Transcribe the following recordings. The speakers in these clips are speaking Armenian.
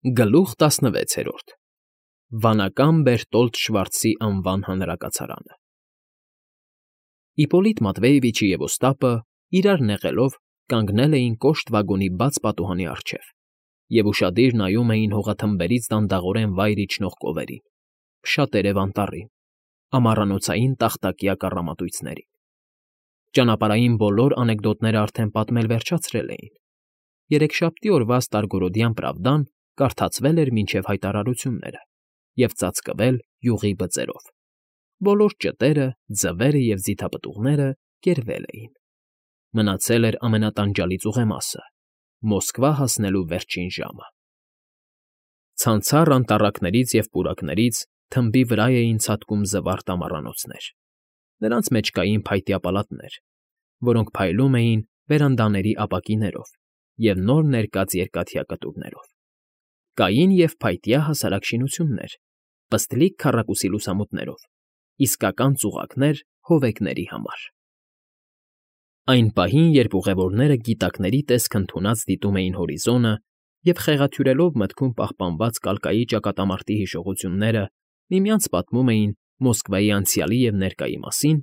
Գլուխ 16 Վանական Բերտոլդ Շվարցի անվան հանրակացարանը Իպոլիտ Մատվեևիչը և Օստապը, իրար նեղելով, կանգնել էին կոշտ վագոնի բաց պատուհանի առջև և ուշադիր նայում էին հողաթմբերից դանդաղորեն վայր իջնող կովերին, փշատերև անտառին, ամառանոցային տախտակյա կառամատույցներին. Ճանապարհային բոլոր անեկդոտները արդեն պատմել վերջացրել էին, երեքշաբթի օրվա Ստարգորոդյան Պրավդան կարդացվել էր մինչև հայտարարությունները և ծածկվել յուղի բծերով, բոլոր ճտերը, ձվերը և ձիթապտուղները կերվել էին, մնացել էր ամենատանջալից ուղեմասը՝ Մոսկվա հասնելու վերջին ժամը։ Ցանցառ անտառակներից և պուրակներից թմբի վրա էին ցատկում զվարթ ամառանոցներ, նրանց մեջ կային փայտյա պալատներ, որոնք փայլում էին վերանդաների ապակիներով և նոր ներկած երկաթյա կտուրներով, կային և փայտյա հասարակ շինություններ, պստլիկ քառակուսի լուսամուտներով, իսկական ծուղակներ հովեկների համար։ Այն պահին, երբ ուղևորները գիտակների տեսք ընդունած դիտում էին հորիզոնը և խեղաթյուրելով մտքում պահպանված կալկայի ճակատամարտի հիշողությունները միմյանց պատմում էին Մոսկվայի անցյալի և ներկայի մասին,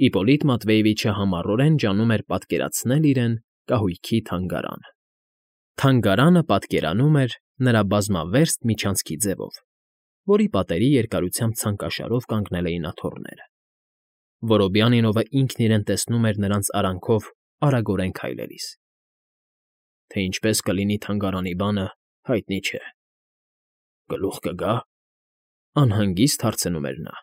Իպոլիտ Մատվեևիչը համառորեն ջանում էր պատկերացնել իրեն կահույքի թանգարանը։ Թանգարանը պատկերանում էր նրա բազմավերս միջանցքի ձևով, որի պատերի երկարությամբ ցանկաշարով կանգնել էին աթոռները։ Որոբյանինովը ինքն իրեն տեսնում էր նրանց արանքով արագորեն քայլելիս։ Թե ինչպես կլինի թանգարանի բանը, հայտնի չէ։ Գլուխ կգա՞, անհանգիստ հարցնում էր նա։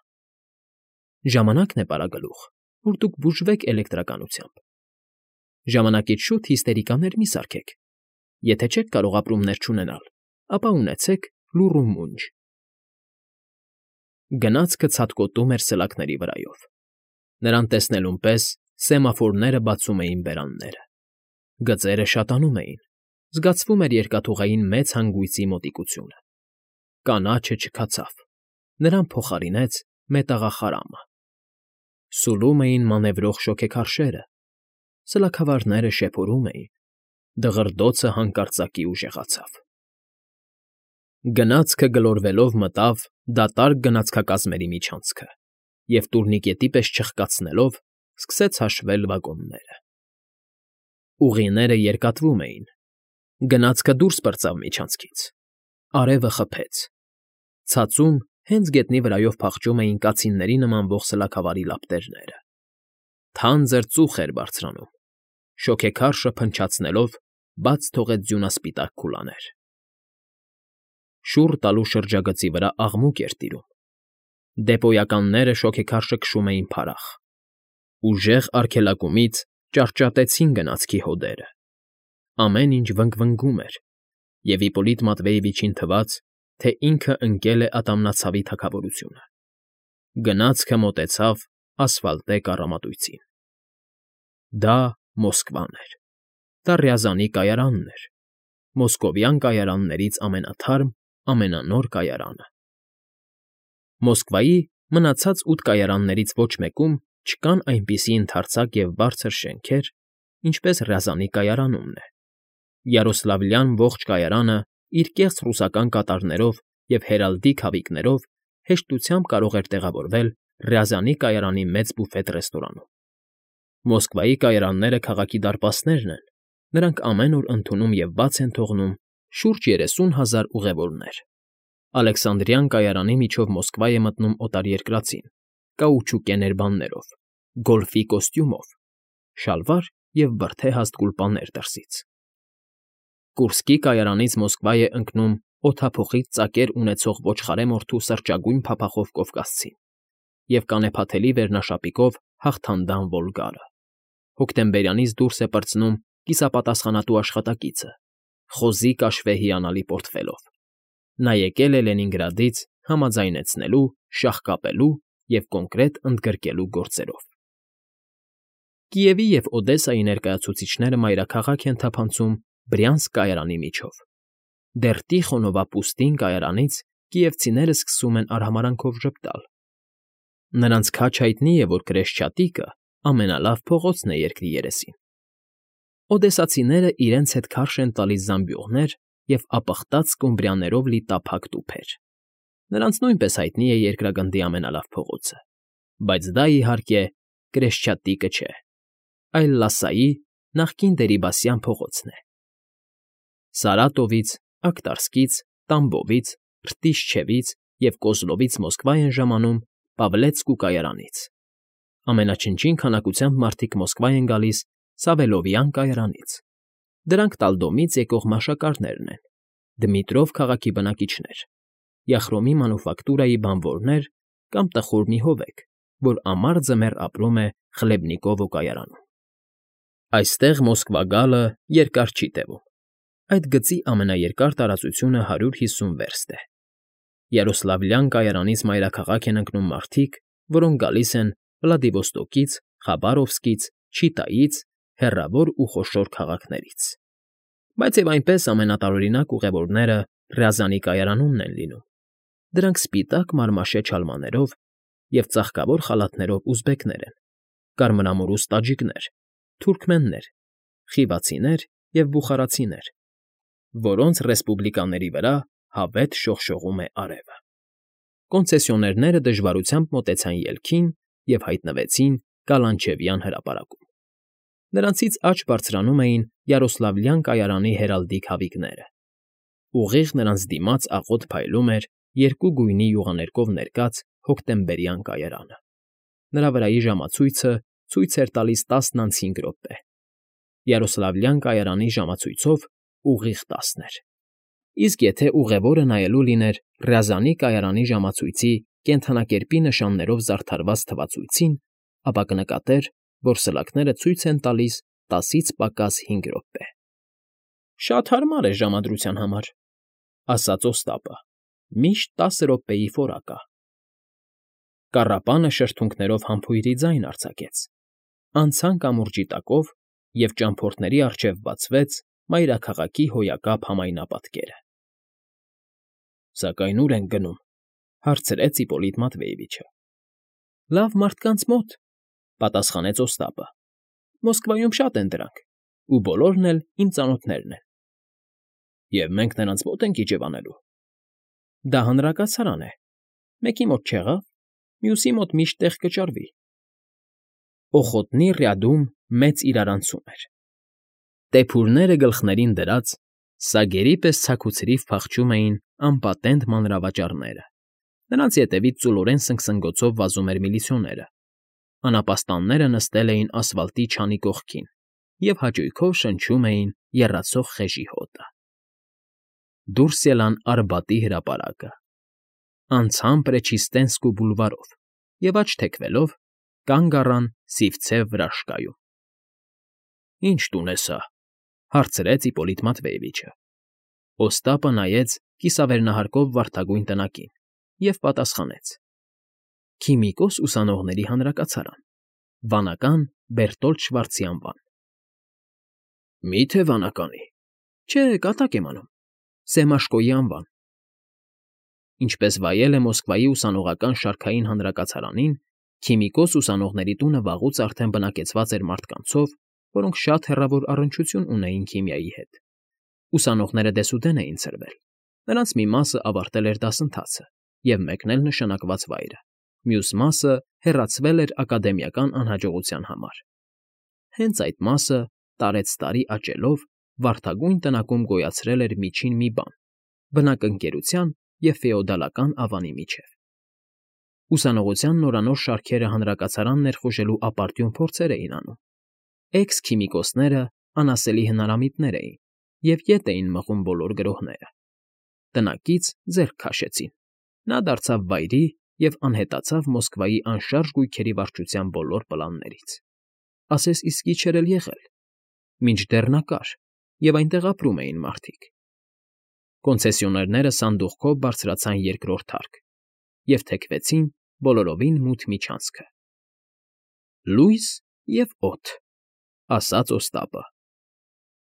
Ժամանակն է, պարագլուխ, որ դուք բուժվեք էլեկտրականությամբ։ Ժամանակից շուտ հիստերիկաներ մի սարքեք։ Եթե չեք կարող ապրումներ չունենալ, ապա ունեցեք լուռ ու մունջ։ Գնացքը ցատկոտում էր սլաքների վրայով։ Նրան տեսնելուն պես սեմաֆորները բացում էին բերանները։ Գծերը շատանում էին, զգացվում էր երկաթուղային մեծ հանգույցի մոտիկությունը։ Կանաչը չքացավ, նրան փոխարինեց մետաղախարամը։ Սուլում էին մանևրող շոգեքարշերը, սլաքավարները շեփորում էին, դղրդոցը հանկարծակի ուժեղացավ։ Գնացքը գլորվելով մտավ դատարկ գնացքակազմերի միջանցքը և տուրնիկետի պես չխկացնելով սկսեց հաշվել վագոնները։ Ուղիները երկատվում էին, գնացքը դուրս պրծավ միջանցքից, արևը խփեց, ցածում հենց գետնի վրայով փախչում էին կացինների նմանվող սլաքավարի լապտերները։ Թանձր ծուխ էր բարձրանում, շոգեքարշը փնչացնելով բաց թողեց ձյունասպիտակ քուլաներ։ Շուռ տալու շրջագծի վրա աղմուկ էր տիրում։ Դեպոյականները շոգեքարշը քշում էին փարախ։ Ուժեղ արգելակումից ճարճատեցին գնացքի հոդերը։ Ամեն ինչ վնգվնգում էր, և Իպոլիտ Մատվեևիչին թվաց, թե ինքը ընկել է ատամնացավի թագավորությունը։ Գնացքը մոտեցավ ասֆալտե կառամատույցին։ Դա Մոսկվան էր։ Դա Ռյազանի կայարանն էր, մոսկովյան կայարաններից ամենաթարմ, ամենանոր կայարանը։ Մոսկվայի մնացած 8 կայարաններից ոչ մեկում չկան այնպիսի ընդարձակ և բարձր շենքեր, ինչպես Ռյազանի կայարանումն է։ Յարոսլավլյան ողջ կայարանը իր կեղծ ռուսական կատարներով և հերալդիկ հավիքներով հեշտությամբ կարող էր տեղավորվել Ռյազանի կայարանի մեծ բուֆետ֊ռեստորանում։ Մոսկվայի կայարանները քաղաքի դարպասներն են, նրանք ամեն օր ընդունում և բաց են թողնում շուրջ 30,000 ուղևորներ։ Ալեքսանդրյան կայարանի միջով Մոսկվա է մտնում օտարերկրացին, կաուչուկե ներբաններով, գոլֆի կոստյումով, շալվար և բրդե հաստ գուլպաներ դրսից։ Կուրսկի կայարանից Մոսկվա է ընկնում օդափոխիչ ծակեր ունեցող ոչխարեմորթու սրճագույն փափախով կովկասցին և կանեփաթելի վերնաշապիկով հաղթանդամ Վոլգարը։ Հոկտեմբերյանից դուրս է պրծնում կիսապատասխանատու աշխատակիցը, խոզի կաշվե հիանալի պորտֆելով։ Նա եկել է Լենինգրադից համաձայնեցնելու, շաղկապելու և կոնկրետ ընդգրկելու գործերով։ Կիևի և Օդեսայի ներկայացուցիչները մայրաքաղաք են թափանցում Բրյանսկ կայարանի միջով։ Դեռ Տիխոնովա Պուստին կայարանից կիևցիները սկսում են արհամարհանքով ժպտալ։ Նրանց քաջ հայտնի է, որ Կրեշչատիկը ամենալավ փողոցն է երկրի երեսին։ Օդեսացիները իրենց հետ քարշ են տալիս զամբյուղներ և ապխտած սկումբրիաներով լի տափակ տուփեր։ Նրանց նույնպես հայտնի է երկրագնդի ամենալավ փողոցը, բայց դա, իհարկե, Կրեշչատիկը չէ, այլ Լասայի նախկին դերիբասյան փողոցն է։ Սարատովից, Ակտարսկից, Տամբովից, Ռտիշչևից և Կոզլովից Մոսկվա են ժամանում Պավլեցկու կայարանից։ Ամենաչնչին քանակությամբ մարդիկ Մոսկվա են գալիս Սավելովյան կայարանից։ Դրանք Տալդոմից եկող մաշակարներն են, Դմիտրով քաղաքի բնակիչներ, Յախրոմի մանուֆակտուրայի բանվորներ կամ տխուր մի հովեկ, որ ամառ ձմեռ ապրում է Խլեբնիկովո կայարանում։ Այստեղ Մոսկվա գալը երկար չի տևում։ Այդ գծի ամենաերկար տարածությունը 150 վերստ է։ Յարոսլավլյան կայարանից մայրաքաղաք են ընկնում մարդիկ, որոնք գալիս են Վլադիվոստոկից, Խաբարովսկից, Չիտայից, հեռավոր ու խոշոր քաղաքներից։ Բայց և այնպես ամենատարօրինակ ուղևորները Ռյազանի կայարանումն են լինում։ Դրանք սպիտակ մարմաշե չալմաներով և ծաղկավոր խալաթներով ուզբեկներ են, կարմրամուրուս տաջիկներ, թուրքմեններ, խիվացիներ և բուխարացիներ, որոնց ռեսպուբլիկաների վրա հավետ շողշողում է արևը։ Կոնցեսիոներները դժվարությամբ մոտեցան ելքին և հայտնվեցին Կալանչևյան հրապարակում։ Նրանցից աջ բարձրանում էին Յարոսլավլյան կայարանի հերալդիկ հավիքները։ Ուղիղ նրանց դիմաց աղոտ փայլում էր երկու գույնի յուղաներկով ներկած հոկտեմբերյան կայարանը։ Նրա վրայի ժամացույցը ցույց էր տալիս 5:10 րոպե։ Յարոսլավլյան կայարանի ժամացույցով ուղիղ 10 էր։ Իսկ եթե ուղևորը նայելու լիներ Ռյազանի կայարանի ժամացույցի կենդանակերպի նշաններով զարդարված թվացույցին, ապա կնկատեր, որ սլաքները ցույց են տալիս 10-ից պակաս 5 րոպե։ Շատ հարմար է ժամադրության համար, ասաց Օստապը, միշտ 10 րոպեի ֆորա կա։ Կառապանը շրթունքներով համբույրի ձայն արձակեց։ Անցան կամուրջի տակով, և ճամփորդների առջև բացվեց մայրաքաղաքի հոյակապ համայնապատկերը։ Սակայն ո՞ւր ենք գնում,֊ հարցրեց Իպոլիտ Մատվեևիչը։ Լավ մարդկանց մոտ,֊ պատասխանեց Օստապը։ Մոսկվայում շատ են դրանք, ու բոլորն էլ իմ ծանոթներն են։ Եվ մենք նրանց մոտ ենք իջևանելու։ Դա հանրակացարան է։ Մեկի մոտ չեղավ, մյուսի մոտ միշտ տեղ կճարվի։ Օխոտնի ռյադում մեծ իրարանցում էր։ Տեփուրները գլխներին դրած, սագերի պես ցաքուցրիվ փախչում էին անպատենտ մանրավաճառները։ Նրանց ետևից ծուլորեն սնգսնգոցով վազում էր միլիցիոները։ Անապաստանները նստել էին ասֆալտի չանի կողքին և հաճույքով շնչում էին եռացող խեժի հոտը։ Դուրս ելան Արբատի հրապարակը։ Անցան Պրեչիստենսկու բուլվարով և աջ թեքվելով կանգ առան Սիվցև վրաշկայում։ Ի՞նչ տուն է սա,֊ հարցրեց Իպոլիտ Մատվեևիչը։ Օստապը նայեց կիսավերնահարկով վարդագույն տնակին և պատասխանեց. Քիմիկոս ուսանողների հանրակացարան, վանական Բերտոլդ Շվարցի անվան։ Մի՞թե վանականի։ Չէ, կատակ եմ անում, Սեմաշկոյի անվան։ Ինչպես վայել է Մոսկվայի ուսանողական շարքային հանրակացարանին, քիմիկոս ուսանողների տունը վաղուց արդեն բնակեցված էր մարդկանցով, որոնք շատ հեռավոր առնչություն ունեին քիմիայի հետ։ Ուսանողները դեսուդեն էին ցրվել։ Նրանց մի մասը ավարտել էր դասընթացը և մեկնել նշանակված վայրը, մյուս մասը հեռացվել էր ակադեմիական անհաջողության համար։ Հենց այդ մասը տարեցտարի աճելով վարդագույն տնակում գոյացրել էր միջին մի բան՝ բնակընկերության և ֆեոդալական ավանի միջև։ Ուսանողության նորանոր շարքերը հանրակացարան ներխուժելու ապարդյուն փորձեր էին անում։ Էքս֊քիմիկոսները անասելի հնարամիտներ էին և ետ էին մղում բոլոր գրոհները։ Տնակից ձեռք քաշեցին։ Նա դարձավ վայրի և անհետացավ Մոսկվայի անշարժ գույքերի վարչության բոլոր պլաններից։ Ասես իսկի չէր էլ եղել։ Մինչդեռ նա կար, և այնտեղ ապրում էին մարդիկ։ Կոնցեսիոներները սանդուղքով բարձրացան երկրորդ հարկ և թեքվեցին բոլորովին մութ միջանցքը։ Լույս և օդ, ասաց Օստապը։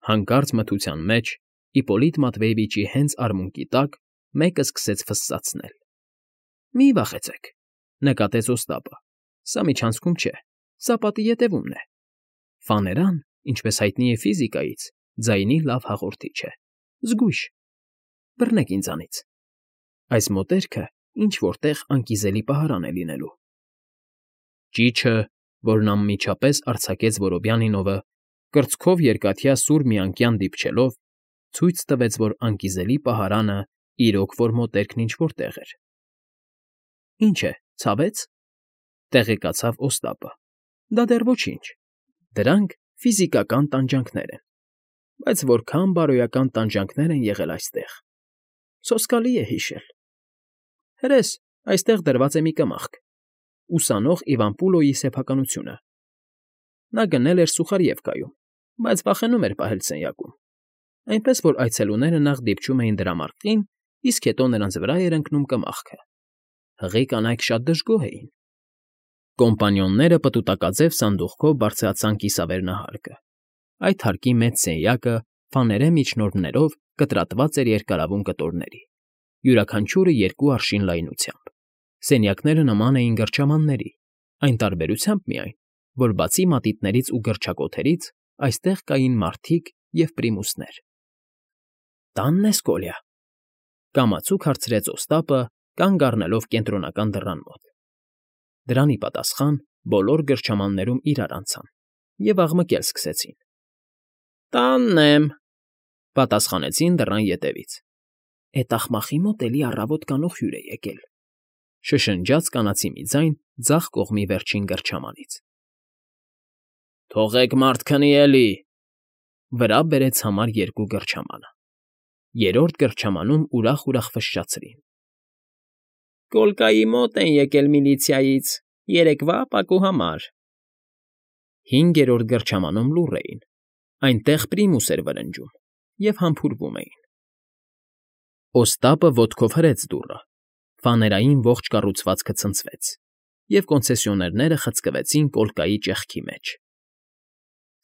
Հանկարծ մթության մեջ Իպոլիտ Մատվեևիչի հենց արմունկի տակ մեկը սկսեց ֆսսացնել։ Մի վախեցեք,֊ նկատեց Օստապը։ Սա միջանցքում չէ, սա պատի ետևումն է։ Ֆաներան, ինչպես հայտնի է ֆիզիկայից, ձայնի լավ հաղորդիչ է։ Զգույշ, Բռնեք ինձանից։ Այս մոտերքը ինչ-որ տեղ անկիզելի պահարան է լինելու։ Ճիչը, որն անմիջապես արձակեց Որոբյանինովը, կրծքով երկաթյա սուր մի անկյան դիպչելով, ցույց տվեց, որ անկիզելի պահարանը իրոք որ մոտերքն ինչ֊որ տեղ էր։ Ինչ է, ցավեց,֊ տեղեկացավ Օստապը։ Դա դեռ ոչինչ։ Դրանք ֆիզիկական տանջանքներ են, բայց որքան բարոյական տանջանքներ են եղել այստեղ… Սոսկալի է հիշել։ Հրես, այստեղ դրված է մի կմախք՝ ուսանող Իվան Պուլոյի սեփականությունը։ Նա գնել էր Սուխարիևկայում, բայց վախենում էր պահել սենյակում, այնպես որ այցելուները նախ դիպչում էին դրամարկղին, իսկ հետո նրանց վրա էր ընկնում կմախքը։ Հղի կանայք շատ դժգոհ էին։ Կոմպանիոնները պտուտակաձև սանդուղքով բարձրացան կիսավերնահարկը։ Այդ հարկի մեծ սենյակը ֆաներե միջնորդներով կտրատված էր երկարավուն կտորների, յուրաքանչյուրը 2 արշին լայնությամբ։ Սենյակները նման էին գրչամանների, այն տարբերությամբ միայն, որ բացի մատիտներից ու գրչակոթերից, այստեղ կային մարդիկ և պրիմուսներ։ Տա՞նն ես, Կոլյա,֊ կամացուկ հարցրեց Օստապը, կանգ առնելով կենտրոնական դռան մոտ։ Դրանի պատասխան բոլոր գրչամաններում իրար անցան և աղմկել սկսեցին։ Տանն եմ,֊ պատասխանեցին դռան ետևից։ Էդ աղմախի մոտ էլի առավոտ կանող հյուր է եկել,֊ շշնջաց կանացի մի ձայն ձախ կողմի վերջին գրչամանից։ Թողեք մարդ քնի էլի,֊ վրա բերեց համար 2 գրչամանը։ Երրորդ գրչամանում ուրախ ֆշշացրին։ Կոլկայի մոտ են եկել միլիցիայից, երեկվա ապակու համար։ 5-րդ գրչամանում լուռ էին, այնտեղ պրիմուս էր վրնջում և համբուրվում էին։ Օստապը ոտքով հրեց դուռը, ֆաներային ողջ կառուցվածքը ցնցվեց, և կոնցեսիոներները խցկվեցին կոլկայի ճեղքի մեջ։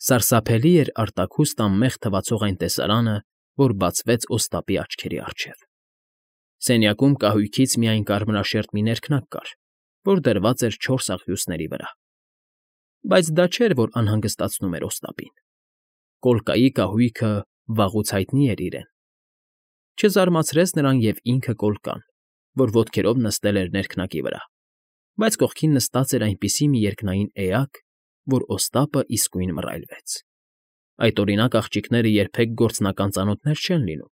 Սարսափելի էր արտաքուստ անմեղ թվացող այն տեսարանը, որ բացվեց Օստապի աչքերի առջև։ Սենյակում կահույքից միայն կարմրաշերտ մի ներքնակ կար, որ դրված էր 4 աղյուսների վրա։ Բայց դա չէր, որ անհանգստացնում էր Օստապին։ Կոլկայի կահույքը վաղուց հայտնի էր իրեն։ Չզարմացրեց նրան և ինքը Կոլկան, որ ոտքերով նստել էր ներքնակի վրա, բայց կողքին նստած էր այնպիսի մի երկնային էակ, որ Օստապը իսկույն մռայլվեց։ Այդօրինակ աղջիկները երբեք գործնական ծանոթներ չեն լինում,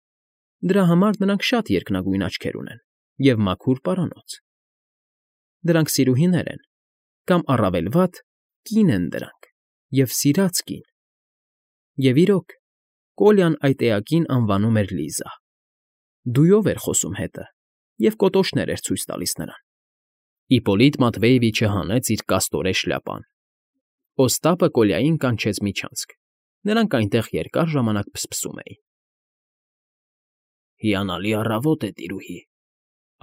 դրա համար նրանք շատ երկնագույն աչքեր ունեն և մաքուր պարանոց։ Դրանք սիրուհիներ են, կամ առավել վատ, կին են դրանք, և սիրած կին։ Եվ իրոք, Կոլյան այդ էակին անվանում էր Լիզա։ Դույով էր խոսում հետը և կոտոշներ էր ցույց տալիս նրան։ Իպոլիտ Մատվեևիչը հանեց իր կաստորե շլյապան։ Օստապը Կոլյային կանչեց միջանցք, նրանք այնտեղ երկար ժամանակ փսփսում էին։ Հիանալի առավոտ է, տիրուհի,֊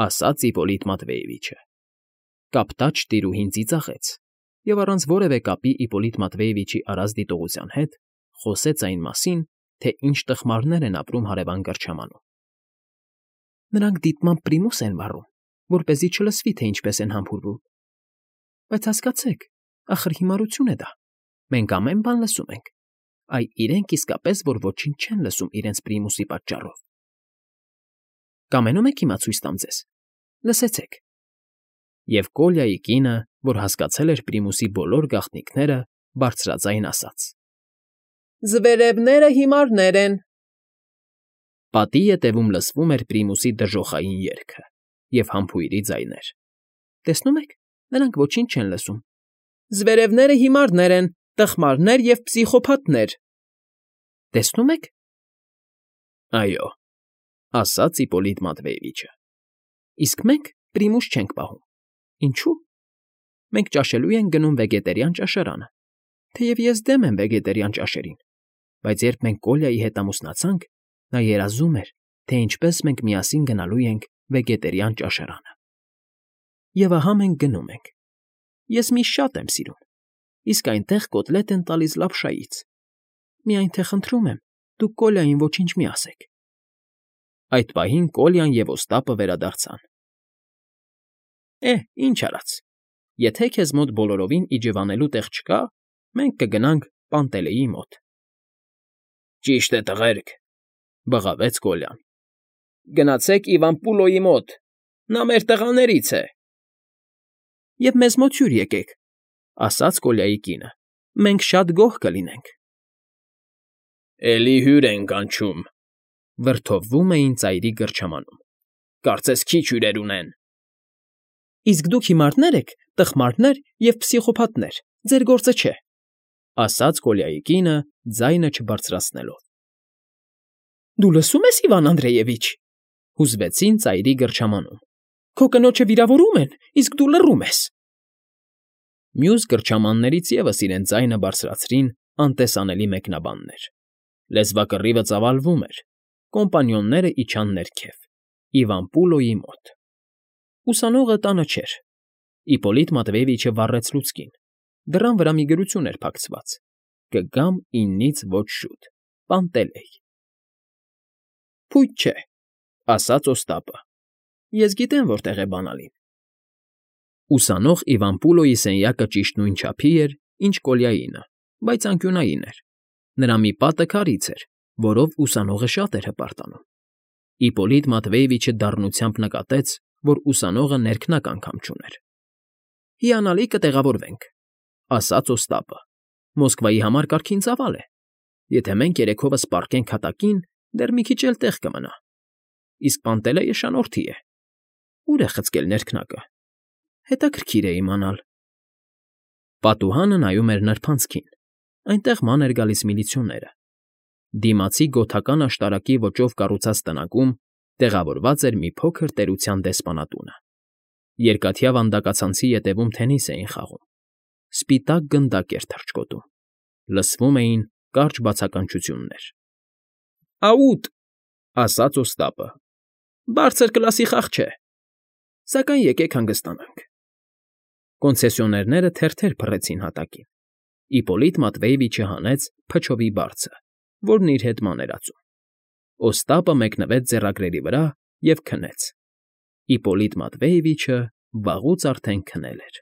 ասաց Իպոլիտ Մատվեևիչը։ Կապտաճ տիրուհին ծիծաղեց և առանց որևէ կապի Իպոլիտ Մատվեևիչի արած դիտողության հետ խոսեց այն մասին, թե ինչ տխմարներ են ապրում հարևան գրչամանում։ Նրանք դիտմամբ պրիմուս են վառում, որպեսզի չլսվի, թե ինչպես են համբուրվում։ Բայց հասկացեք, ախր հիմարություն է դա։ Մենք ամեն բան լսում ենք, այ իրենք իսկապես որ ոչինչ չեն լսում իրենց պրիմուսի պատճառով։ Կամենում եք հիմա ցույց տամ ձեզ։ Լսեցեք։ Եվ Կոլյայի կինը, որ հասկացել էր պրիմուսի բոլոր գաղտնիքները, բարձրաձայն ասաց. Զվերևները հիմարներ են։ Պատի ետևում լսվում էր պրիմուսի դժոխային երգը և համբույրի ձայներ։ Տեսնում եք, նրանք ոչինչ չեն լսում։ Զվերևները հիմարներ են, տխմարներ և պսիխոփաթներ։ Տեսնում եք։ Այո, ասաց Իպոլիտ Մատվեևիչը։ Իսկ մենք պրիմուս չենք պահում։ Ինչու՞։ Մենք ճաշելու ենք գնում վեգետարիան ճաշարանը, թեև ես դեմ եմ վեգետարիան ճաշերին, բայց երբ մենք Կոլյայի հետ ամուսնացանք, նա երազում էր, թե ինչպես մենք միասին գնալու ենք վեգետարիան ճաշարանը։ Եվ ահա մենք գնում ենք։ Ես միշտ շատ եմ սիրում, իսկ այնտեղ կոտլետ են տալիս լապշայից։ Միայն թե խնդրում եմ, դուք Կոլյային ոչինչ մի ասեք։ Այդ պահին Կոլյան և Օստապը վերադարձան։ Ինչ արած, եթե քեզ մոտ բոլորովին իջևանելու տեղ չկա, մենք կգնանք Պանտելեի մոտ։ Ճիշտ է, տղերք,֊ բղավեց Կոլյան։ Գնացեք Իվան Պուլոյի մոտ, նա մեր տղաներից է։ Եվ մեզ մոտ հյուր եկեք, ասաց Կոլյայի կինը, մենք շատ գոհ կլինենք։ Էլի հյուր են կանչում, վրդովվում էին ծայրի գրչամանում։ Կարծես քիչ հյուրեր ունեն։ Իսկ դուք հիմարներ եք, տխմարներ և փսիխոփաթներ, ձեր գործը չէ, ասաց Կոլյայի կինը, ձայնը չբարձրացնելով։ Դու լսում ես, Իվան Անդրեևիչ, հուզվեցին ծայրի գրչամանում։ Քո կնոջը վիրավորում են, իսկ դու լռում ես։ Մյուս գրչամաններից ևս իրեն ձայնը բարձրացրին անտեսանելի մեկնաբաններ։ Լեզվակռիվը ծավալվում էր, կոմպանիոնները իջան ներքև, Իվան Պուլոյի մոտ։ Ուսանողը տանը չէր։ Իպոլիտ Մատվեևիչը վառեց լուցկին։ Դռան վրա մի գրություն էր փակցված. «Կգամ 9-ից ոչ շուտ. Պանտելեյ»։ Փույթ չէ, ասաց Օստապը։ Ես գիտեմ որտեղ է բանալին։ Ուսանող Իվան Պուլոյի սենյակը ճիշտ նույն չափի էր, ինչ Կոլյայինը, բայց անկյունային էր։ Նրա մի պատը քարից էր, որով ուսանողը շատ էր հպարտանում։ Իպոլիտ Մատվեևիչը դառնությամբ նկատեց, որ ուսանողը ներքնակ անգամ չուներ։ Հիանալի կտեղավորվենք, ասաց Օստապը։ Մոսկվայի համար կարգին ծավալ է։ Եթե մենք երեքովը սպառկենք հատակին, դեռ մի քիչ էլ տեղ կմնա։ Իսկ Պանտելեյը շանորդի է։ Ուր է խցկել ներքնակը։ Հետաքրքիր է իմանալ։ Պատուհանը նայում էր նրբանցքին։ Այնտեղ ման էր գալիս միլիցիոները։ Դիմացի գոթական աշտարակի ոճով կառուցած տնակում տեղավորված էր մի փոքր տերության դեսպանատունը։ Երկաթյա վանդակացանցի ետևում թենիս էին խաղում։ Սպիտակ գնդակ էր թռչկոտում։ Լսվում էին կարճ բացականչություններ։ Աուտ, ասաց Օստապը։ Բարձր կլասի խաղ չէ։ Սակայն եկեք հանգստանանք։ Կոնցեսիոներները թերթեր փռեցին հատակին։ Իպոլիտ Մատվեևիչը հանեց փչովի բարձը, որն իր հետ ման էր ածում։ Օստապը մեկնվեց ձեռագրերի վրա և քնեց։ Իպոլիտ Մատվեևիչը վաղուց արդեն քնել էր։